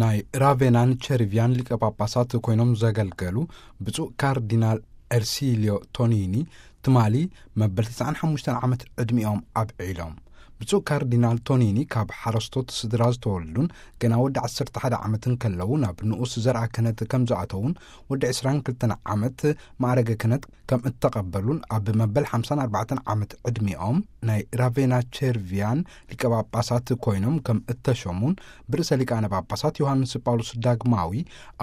ናይ ራቬናን ቸርቪያን ሊቀ ጳጳሳት ኮይኖም ዘገልገሉ ብፁዕ ካርዲናል ኤርሲሊዮ ቶኒኒ ትማሊ መበል ተስዓን ሓሙሽተን ዓመት ዕድሚኦም ኣብዒሎም። ብፁዕ ካርዲናል ቶኒኒ ካብ ሓረስቶት ስድራ ዝተወልዱን ገና ወዲ ዓሰርተ ሓደ ዓመት እንከለዉ ናብ ንኡስ ዘርኣ ክህነት ከም ዝኣተዉን ወዲ ዕስራን ክልተን ዓመት ማዕረገ ክህነት ከም እተቐበሉን ኣብ መበል ሓምሳን ኣርባዕተን ዓመት ዕድሚኦም ናይ ራቬና ቸርቪያን ሊቀ ጳጳሳት ኮይኖም ከም እተሸሙን ብርእሰ ሊቃነ ጳጳሳት ዮሃንስ ጳውሎስ ዳግማዊ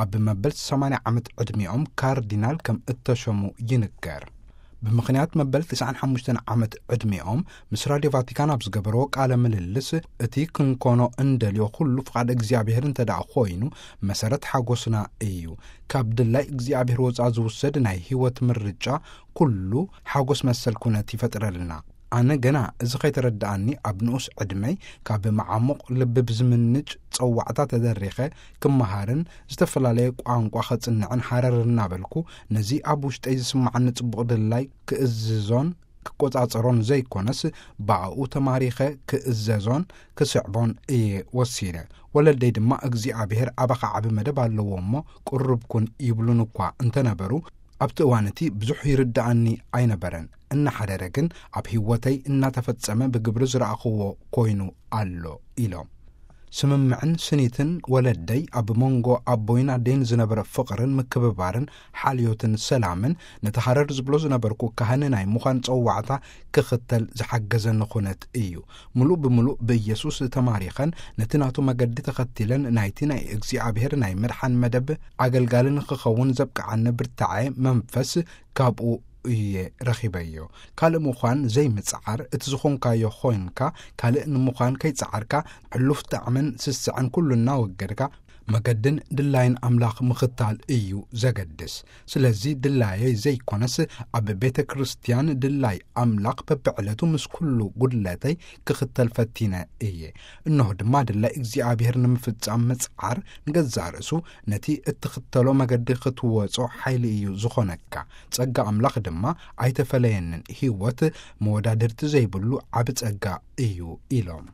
ኣብ መበል ሰማንያ ዓመት ዕድሚኦም ካርዲናል ከም እተሸሙ ይንገር። ብምኽንያት መበል ተስዓን ሓሙሽተን ዓመት ዕድሚኦም ምስ ራድዮ ቫቲካን ኣብ ዝገበርዎ ቃለ ምልልስ፣ እቲ ክንኮኖ እንደልዮ ኩሉ ፍቓድ እግዚኣብሔር እንተ ደኣ ኮይኑ መሰረት ሓጎስና እዩ። ካብ ድላይ እግዚኣብሔር ወፃ ዝውሰድ ናይ ህይወት ምርጫ ኩሉ ሓጎስ መሰል ኩነት ይፈጥረልና። ኣነ ገና እዚ ከይተረድኣኒ ኣብ ንኡስ ዕድመይ ካብ መዓሙቕ ልቢ ብዝምንጭ ጸዋዕታ ተደሪኸ ክመሃርን ዝተፈላለየ ቋንቋ ኸጽንዕን ሃረር እናበልኩ ነዚ ኣብ ውሽጠይ ዝስምዓኒ ጽቡቕ ድላይ ክእዝዞን ክቆጻጸሮን ዘይኮነስ ብኣኡ ተማሪኸ ክእዘዞን ክስዕቦን እየ ወሲነ። ወለደይ ድማ እግዚኣብሔር ኣባኻ ዓቢ መደብ ኣለዎ እሞ ቅሩብ ኩን ይብሉን እኳ እንተነበሩ ኣብቲ እዋን እቲ ብዙሕ ይርድኣኒ ኣይነበረን። እናሓደረ ግን ኣብ ህይወተይ እናተፈጸመ ብግብሪ ዝረኣኽዎ ኮይኑ ኣሎ ኢሎም። ስምምዕን ስኒትን ወለደይ ኣብ መንጎ ኣቦይን ኣደይን ዝነበረ ፍቕርን ምክብባርን ሓልዮትን ሰላምን ነቲ ሃረር ዝብሎ ዝነበርኩ ካህን ናይ ምዃን ጸዋዕታ ክኽተል ዝሓገዘኒ ኩነት እዩ። ምሉእ ብምሉእ ብኢየሱስ ተማሪኸን ነቲ ናቱ መገዲ ተኸቲለን ናይቲ ናይ እግዚኣብሔር ናይ ምድሓን መደብ ኣገልጋሊ ንኽኸውን ዘብቅዓኒ ብርታዐ መንፈስ ካብኡ እየ ረኺበዮ። ካልእ ምዃን ዘይምጽዓር፣ እቲ ዝኾንካዮ ኾይንካ ካልእ ንምዃን ከይጸዓርካ፣ ሕሉፍ ጣዕምን ስስዐን ኩሉ እናወገድካ፣ መገድን ድላይን ኣምላኽ ምኽታል እዩ ዘገድስ። ስለዚ ድላየይ ዘይኮነስ ኣብ ቤተ ክርስቲያን ድላይ ኣምላኽ በብዕለቱ ምስ ኩሉ ጉድለተይ ክኽተል ፈቲነ እየ። እነሆ ድማ ድላይ እግዚኣብሔር ንምፍጻም ምጽዓር ንገዛእ ርእሱ ነቲ እትኽተሎ መገዲ ክትወጾ ሓይሊ እዩ ዝኾነካ። ጸጋ ኣምላኽ ድማ ኣይተፈለየንን። ህይወት መወዳድርቲ ዘይብሉ ዓቢ ጸጋ እዩ ኢሎም።